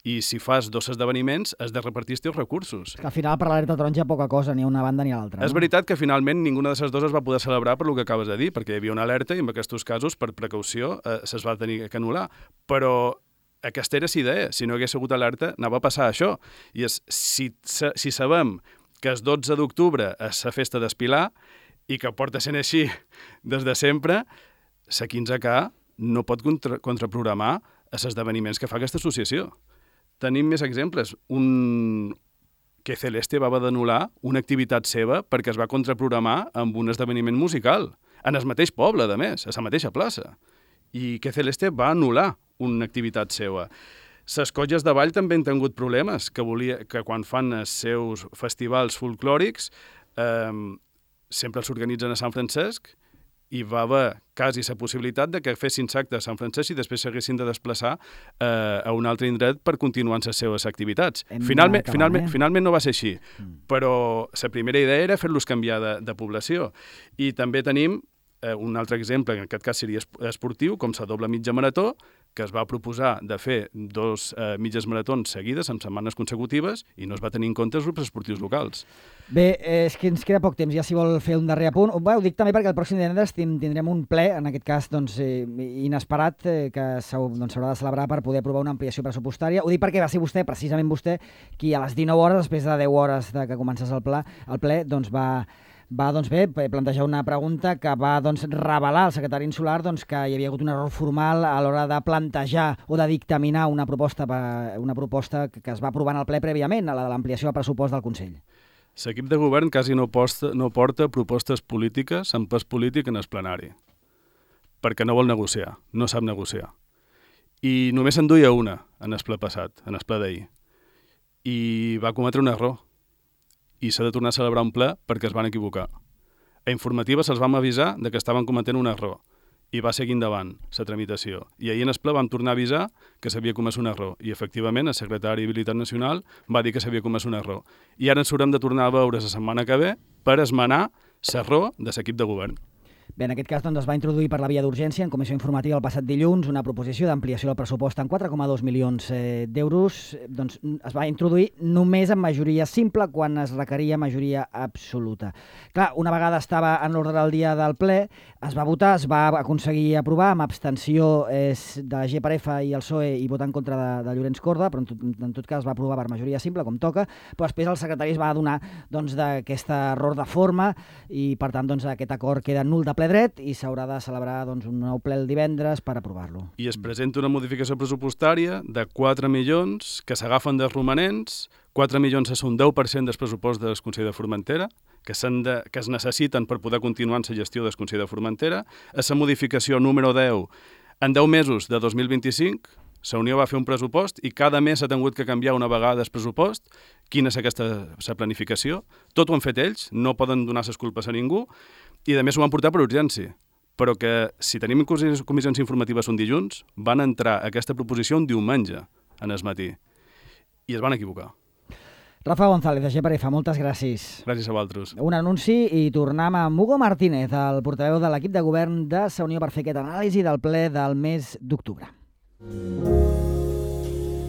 i si fas dos esdeveniments has de repartir els teus recursos. Que al final per l'alerta taronja poca cosa, ni a una banda ni a l'altra. És no? veritat que finalment ninguna de les dues es va poder celebrar per el que acabes de dir, perquè hi havia una alerta i en aquests casos, per precaució, eh, se's va tenir que anul·lar. Però aquesta era la idea. Si no hagués hagut alerta, anava a passar això. I és, si, si sabem que el dotze d'octubre és la festa d'Espilar i que porta sent així des de sempre, la quinze K no pot contra, contraprogramar els esdeveniments que fa aquesta associació. Tenim més exemples. Un que Celeste va haver d'anul·lar una activitat seva perquè es va contraprogramar amb un esdeveniment musical, en el mateix poble, a més, a la mateixa plaça. I que Celeste va anul·lar una activitat seva. Les colles de ball també han tingut problemes, que, volia, que quan fan els seus festivals folclòrics eh, sempre els organitzen a Sant Francesc i va haver quasi la possibilitat de que fessin acte a Sant Francesc i després s'haguessin de desplaçar eh, a un altre indret per continuar amb les seves activitats. Finalment, finalment, finalment no va ser així, mm. però la primera idea era fer-los canviar de, de població. I també tenim eh, un altre exemple, en aquest cas seria esportiu, com la doble mitja marató, que es va proposar de fer dos eh, mitges maratons seguides, en setmanes consecutives, i no es va tenir en compte els grups esportius locals. Bé, eh, és que ens queda poc temps, ja si vol fer un darrer apunt. Bé, ho dic també perquè el pròxim divendres tindrem un ple, en aquest cas doncs, eh, inesperat, eh, que s'haurà doncs, de celebrar per poder aprovar una ampliació pressupostària. Ho dic perquè va ser vostè, precisament vostè, qui a les dinou hores, després de deu hores de que comencés el ple, el ple doncs va... va doncs bé, plantejar una pregunta que va doncs, revelar al secretari insular doncs, que hi havia hagut un error formal a l'hora de plantejar o de dictaminar una proposta, una proposta que es va aprovar en el ple prèviament, a la de l'ampliació del pressupost del Consell. L'equip de govern quasi no, posta, no porta propostes polítiques amb pes polític en el plenari, perquè no vol negociar, no sap negociar. I només se'n duia una en el ple passat, en el ple d'ahir, i va cometre un error. I s'ha de tornar a celebrar un ple perquè es van equivocar. A informativa se'ls vam avisar de que estaven cometent un error i va seguir endavant la tramitació. I ahir en el ple vam tornar a avisar que s'havia comès un error i efectivament el secretari d'Habilitat Nacional va dir que s'havia comès un error. I ara ens haurem de tornar a veure la setmana que ve per esmenar l'error de l'equip de govern. Bé, en aquest cas doncs, es va introduir per la via d'urgència en comissió informativa el passat dilluns una proposició d'ampliació del pressupost en quatre coma dos milions eh, d'euros. Doncs, es va introduir només en majoria simple quan es requeria majoria absoluta. Clar, una vegada estava en l'ordre del dia del ple, es va votar, es va aconseguir aprovar amb abstenció eh, de la G per F i el P S O E i votar en contra de, de Llorenç Corda, però en tot, en tot cas es va aprovar per majoria simple, com toca, però després el secretari es va adonar doncs, d'aquest error de forma i per tant doncs, aquest acord queda nul de ple dret i s'haurà de celebrar doncs, un nou ple el divendres per aprovar-lo. I es presenta una modificació pressupostària de quatre milions que s'agafen dels romanents. quatre milions és un deu per cent del pressupost del Consell de Formentera, que, de, que es necessiten per poder continuar en la gestió del Consell de Formentera. A la modificació número deu, en deu mesos de dos mil vint-i-cinc, la Unió va fer un pressupost i cada mes s'ha tingut que canviar una vegada el pressupost. Quina és aquesta la planificació? Tot ho han fet ells, no poden donar les culpes a ningú, i a més ho van portar per urgència. Però que si tenim comissions informatives un dilluns, van entrar aquesta proposició un diumenge en el matí. I es van equivocar. Rafa González, de G per F, moltes gràcies. Gràcies a vosaltres. Un anunci i tornem amb Hugo Martínez, el portaveu de l'equip de govern de la Unió per fer aquesta anàlisi del ple del mes d'octubre.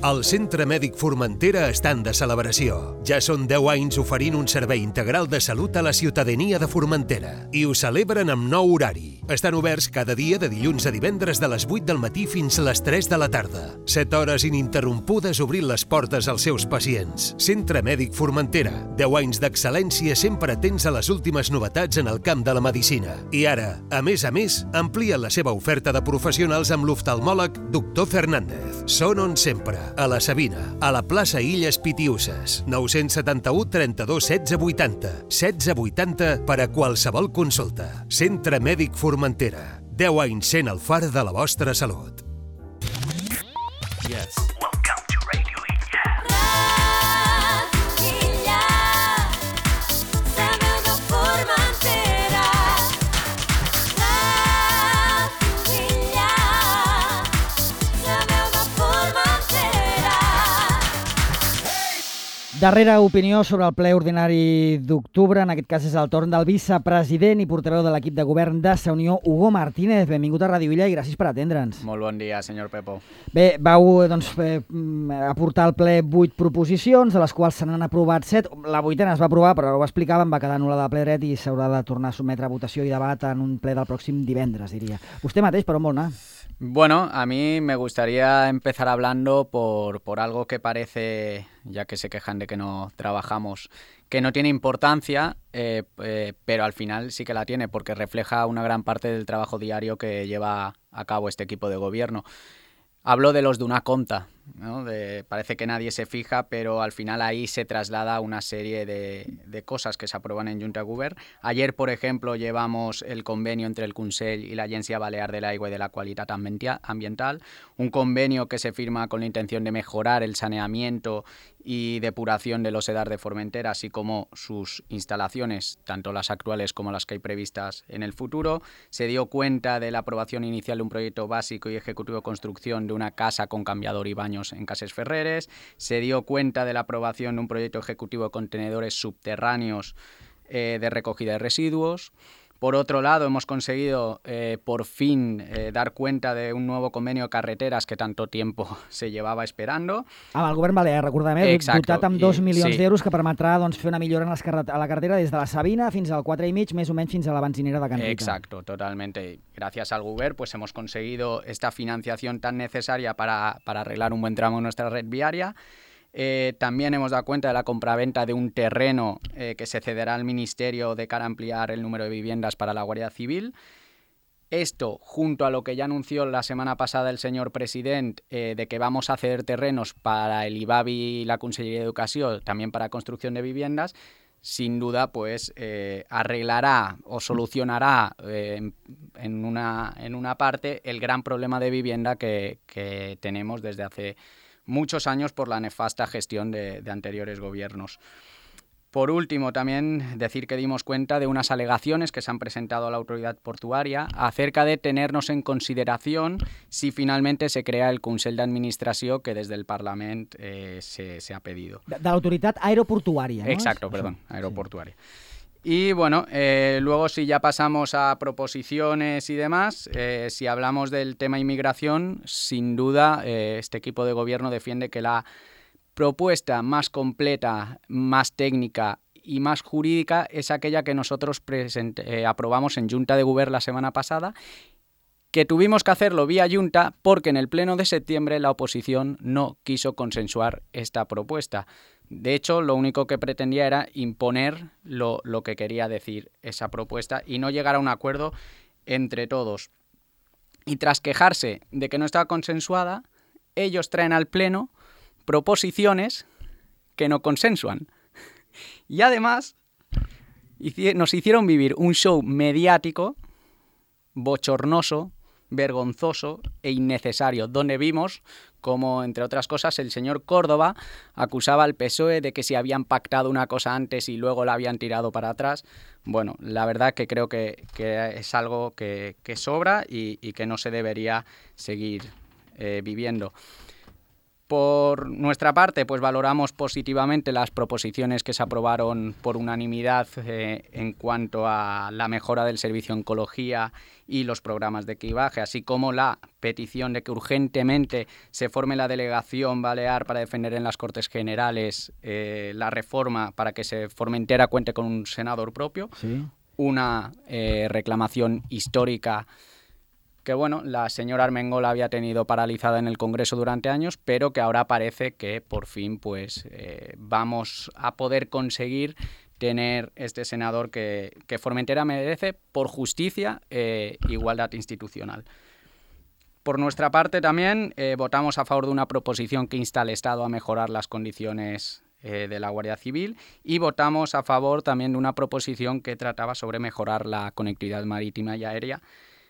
El Centre Mèdic Formentera està de celebració. Ja són deu anys oferint un servei integral de salut a la ciutadania de Formentera. I ho celebren amb nou horari. Estan oberts cada dia de dilluns a divendres de les vuit del matí fins a les tres de la tarda. set hores ininterrompudes obrint les portes als seus pacients. Centre Mèdic Formentera. deu anys d'excel·lència sempre atents a les últimes novetats en el camp de la medicina. I ara, a més a més, amplien la seva oferta de professionals amb l'oftalmòleg doctor Fernández. Són on sempre. A la Sabina, a la plaça Illes Pitiuses, nou-cents setanta-u trenta-dos setze vuitanta, setze vuitanta per a qualsevol consulta. Centre Mèdic Formentera. deu anys sent el far de la vostra salut. Yes. Darrera opinió sobre el ple ordinari d'octubre. En aquest cas és el torn del vicepresident i portaveu de l'equip de govern de la Unió, Hugo Martínez. Benvingut a Ràdio Illa i gràcies per atendre'ns. Molt bon dia, senyor Pepo. Bé, vau doncs, eh, aportar al ple vuit proposicions, de les quals se n'han aprovat set. La vuitena es va aprovar, però ho explicàvem, va quedar anul·lada de ple dret i s'haurà de tornar a sotmetre a votació i debat en un ple del pròxim divendres, diria. Vostè mateix, per on vol anar? Bueno, a mí me gustaría empezar hablando por, por algo que parece, ya que se quejan de que no trabajamos, que no tiene importancia, eh, eh, pero al final sí que la tiene porque refleja una gran parte del trabajo diario que lleva a cabo este equipo de gobierno. Hablo de los de una conta, ¿no? De, parece que nadie se fija, pero al final ahí se traslada una serie de, de cosas que se aprueban en Junta de Govern. Ayer, por ejemplo, llevamos el convenio entre el Consell y la Agència Balear de l'Aigua y de la Qualitat Ambiental, un convenio que se firma con la intención de mejorar el saneamiento y depuración de los EDAR de Formentera, así como sus instalaciones, tanto las actuales como las que hay previstas en el futuro. Se dio cuenta de la aprobación inicial de un proyecto básico y ejecutivo de construcción de una casa con cambiador y baños en Cases Ferreres. Se dio cuenta de la aprobación de un proyecto ejecutivo de contenedores subterráneos eh, de recogida de residuos. Por otro lado, hemos conseguido eh, por fin eh, dar cuenta de un nuevo convenio de carreteras que tanto tiempo se llevava esperando. Amb el govern balear, recordem, eh? dotat amb dos milions sí. d'euros que permetrà doncs, fer una millora en les carret a la carretera des de la Sabina fins al quatre i mig, més o menys fins a la benzinera de Can Rita. Exacto, totalmente. Gracias al govern pues hemos conseguido esta financiación tan necesaria para, para arreglar un buen tramo en nuestra red viaria. Eh, también hemos dado cuenta de la compraventa de un terreno eh, que se cederá al Ministerio de cara a ampliar el número de viviendas para la Guardia Civil. Esto, junto a lo que ya anunció la semana pasada el señor presidente, eh, de que vamos a ceder terrenos para el I B A B I y la Conselleria de Educación, también para construcción de viviendas, sin duda pues eh, arreglará o solucionará eh, en, en, una, en una parte el gran problema de vivienda que, que tenemos desde hace muchos años por la nefasta gestión de, de anteriores gobiernos. Por último, también decir que dimos cuenta de unas alegaciones que se han presentado a la autoridad portuaria acerca de tenernos en consideración si finalmente se crea el Consell d'Administració que desde el Parlament eh, se, se ha pedido. De, de la autoridad aeroportuaria, ¿no? Exacto, perdón, aeroportuaria. Sí. Y bueno, eh, luego si ya pasamos a proposiciones y demás, eh, si hablamos del tema inmigración, sin duda eh, este equipo de gobierno defiende que la propuesta más completa, más técnica y más jurídica es aquella que nosotros present- eh, aprobamos en Junta de Govern la semana pasada, que tuvimos que hacerlo vía Junta porque en el pleno de septiembre la oposición no quiso consensuar esta propuesta. De hecho, lo único que pretendía era imponer lo, lo que quería decir esa propuesta y no llegar a un acuerdo entre todos. Y tras quejarse de que no estaba consensuada, ellos traen al pleno proposiciones que no consensuan. Y además nos hicieron vivir un show mediático, bochornoso, vergonzoso e innecesario, donde vimos como, entre otras cosas, el señor Córdoba acusaba al P S O E de que si habían pactado una cosa antes y luego la habían tirado para atrás. Bueno, la verdad que creo que, que es algo que, que sobra y, y que no se debería seguir eh, viviendo. Por nuestra parte, pues valoramos positivamente las proposiciones que se aprobaron por unanimidad eh, en cuanto a la mejora del servicio de oncología y los programas de cribaje, así como la petición de que urgentemente se forme la delegación balear para defender en las Cortes Generales eh, la reforma para que se Formentera cuente con un senador propio, sí. Una eh, reclamación histórica que bueno, la señora Armengol había tenido paralizada en el Congreso durante años, pero que ahora parece que por fin pues eh, vamos a poder conseguir tener este senador que, que Formentera merece por justicia e eh, igualdad institucional. Por nuestra parte también eh, votamos a favor de una proposición que insta al Estado a mejorar las condiciones eh, de la Guardia Civil y votamos a favor también de una proposición que trataba sobre mejorar la conectividad marítima y aérea,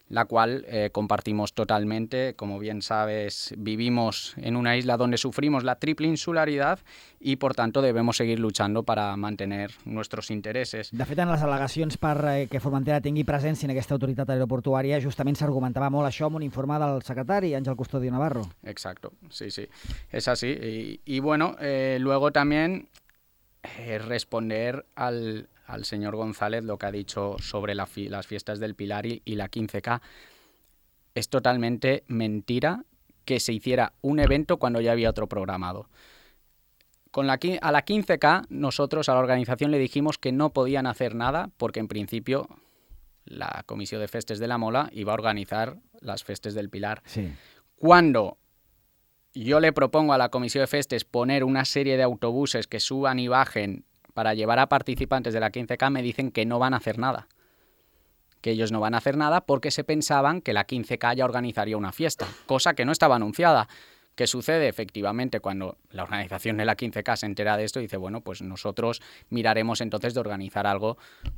la cual eh, compartimos totalmente. Como bien sabes, vivimos en una isla donde sufrimos la triple insularidad y, por tanto, debemos seguir luchando para mantener nuestros intereses. De fet, en les al·legacions per eh, que Formentera tingui presència en aquesta autoritat aeroportuària, justament s'argumentava molt això amb un informe del secretari, Ángel Custodio Navarro. Exacto, sí, sí, es así. Y, y bueno, eh, luego también eh, responder al... al señor González lo que ha dicho sobre la fi- las fiestas del Pilar y, y la quince K. Es totalmente mentira que se hiciera un evento cuando ya había otro programado. Con la, a la quince K nosotros a la organización le dijimos que no podían hacer nada porque en principio la Comisión de Festes de la Mola iba a organizar las Festes del Pilar. Sí. Cuando yo le propongo a la Comisión de Festes poner una serie de autobuses que suban y bajen para llevar a participantes de la quince K, me dicen que no van a hacer nada. Que ellos no van a hacer nada porque se pensaban que la quince K ya organizaría una fiesta, cosa que no estaba anunciada. ¿Qué sucede? Efectivamente, cuando la organización de la quince K se entera de esto, dice, bueno, pues nosotros miraremos entonces de organizar algo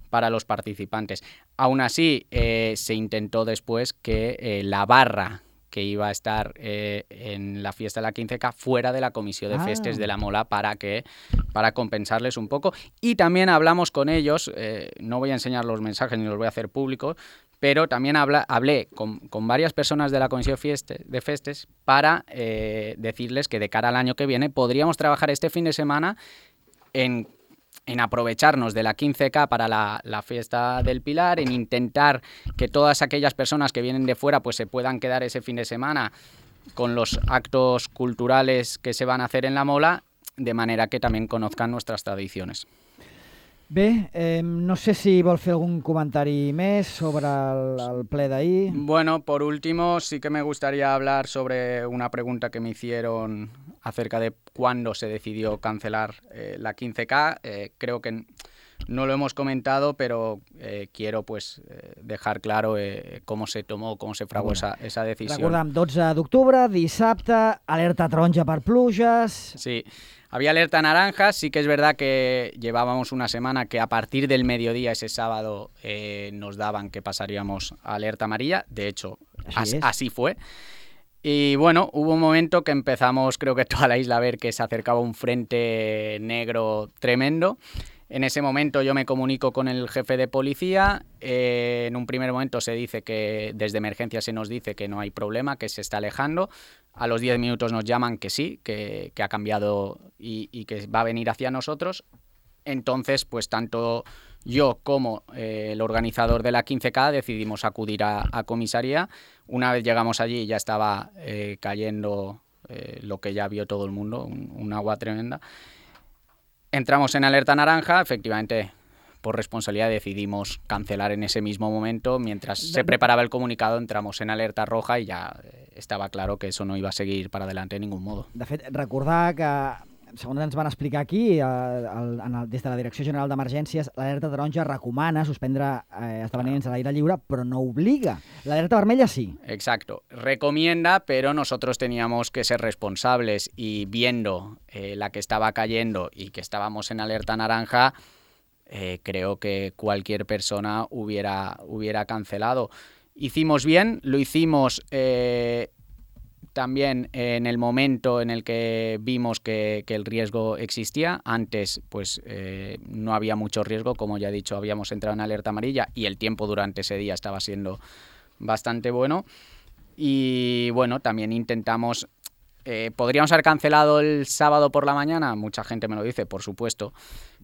para los participantes. Aún así, eh, se intentó después que eh, la barra que iba a estar eh, en la fiesta de la quince K fuera de la Comisión de Festes ah. de la Mola para que para compensarles un poco. Y también hablamos con ellos, eh, no voy a enseñar los mensajes ni los voy a hacer públicos, pero también habla, hablé con, con varias personas de la Comisión Fieste, de Festes para eh, decirles que de cara al año que viene podríamos trabajar este fin de semana en en aprovecharnos de la quince K para la, la fiesta del Pilar, en intentar que todas aquellas personas que vienen de fuera pues se puedan quedar ese fin de semana con los actos culturales que se van a hacer en la Mola, de manera que también conozcan nuestras tradiciones. Bé, eh, no sé si vol fer algún comentari més sobre el, el ple d'ahir. Bueno, por último, sí que me gustaría hablar sobre una pregunta que me hicieron acerca de cuándo se decidió cancelar eh, la quince K. Eh, creo que no lo hemos comentado, pero eh, quiero pues eh, dejar claro eh, cómo se tomó, cómo se fraguó esa, esa decisión. Recordem, dotze d'octubre, dissabte, alerta taronja per pluges... Sí. Había alerta naranja, sí que es verdad que llevábamos una semana que a partir del mediodía ese sábado eh, nos daban que pasaríamos a alerta amarilla, de hecho así, as, así fue. Y bueno, hubo un momento que empezamos, creo que toda la isla, a ver que se acercaba un frente negro tremendo. En ese momento yo me comunico con el jefe de policía, eh, en un primer momento se dice que desde emergencia se nos dice que no hay problema, que se está alejando. A los diez minutos nos llaman que sí, que, que ha cambiado y, y que va a venir hacia nosotros. Entonces, pues tanto yo como eh, el organizador de la quince K decidimos acudir a, a comisaría. Una vez llegamos allí ya estaba eh, cayendo eh, lo que ya vio todo el mundo, un, un agua tremenda. Entramos en alerta naranja, efectivamente, por responsabilidad decidimos cancelar en ese mismo momento. Mientras se preparaba el comunicado, entramos en alerta roja y ya estava claro que eso no iba a seguir para adelante de ningún modo. De fet, recordar que, segons ens van explicar aquí, el, el, en el, des de la Direcció General d'Emergències, l'alerta taronja recomana suspendre eh, esdeveniments a l'aire lliure, però no obliga. L'alerta vermella sí. Exacto. Recomienda, pero nosotros teníamos que ser responsables y viendo eh, la que estaba cayendo y que estábamos en alerta naranja, Eh, creo que cualquier persona hubiera, hubiera cancelado. Hicimos bien, lo hicimos eh, también en el momento en el que vimos que, que el riesgo existía. Antes pues eh, no había mucho riesgo, como ya he dicho, habíamos entrado en alerta amarilla y el tiempo durante ese día estaba siendo bastante bueno. Y bueno, también intentamos... Eh, ¿Podríamos haber cancelado el sábado por la mañana? Mucha gente me lo dice, por supuesto.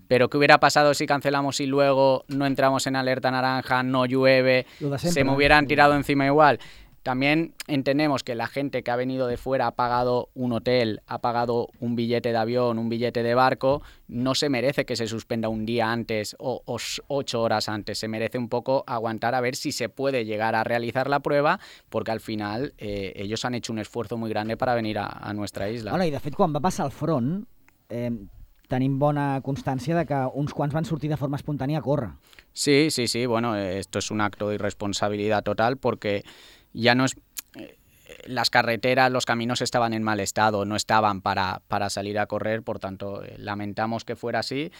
Pero ¿qué hubiera pasado si cancelamos y luego no entramos en alerta naranja, no llueve, se me hubieran tirado encima igual? También entendemos que la gente que ha venido de fuera ha pagado un hotel, ha pagado un billete de avión, un billete de barco, no se merece que se suspenda un día antes o, o ocho horas antes, se merece un poco aguantar a ver si se puede llegar a realizar la prueba, porque al final eh, ellos han hecho un esfuerzo muy grande para venir a, a nuestra isla. Bueno, i de fet, quan va passar el front, eh, tenim bona constància de que uns quants van sortir de forma espontània a córrer. Sí, sí, sí, bueno, esto es un acto de irresponsabilidad total porque ya no es... Las carreteras, los caminos estaban en mal estado, no estaban para, para salir a correr, por tanto, eh, lamentamos que fuera así.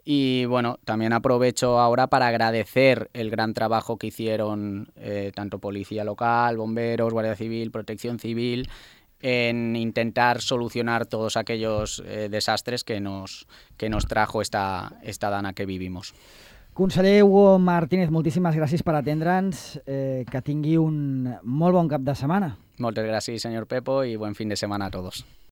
Y bueno, también aprovecho ahora para agradecer el gran trabajo que hicieron eh, tanto Policía Local, Bomberos, Guardia Civil, Protección Civil, en intentar solucionar todos aquellos eh, desastres que nos, que nos trajo esta, esta dana que vivimos. Conseller Hugo Martínez, moltíssimes gràcies per atendre'ns. Eh, que tingui un molt bon cap de setmana. Moltes gràcies, senyor Pepo, i buen fin de setmana a tots.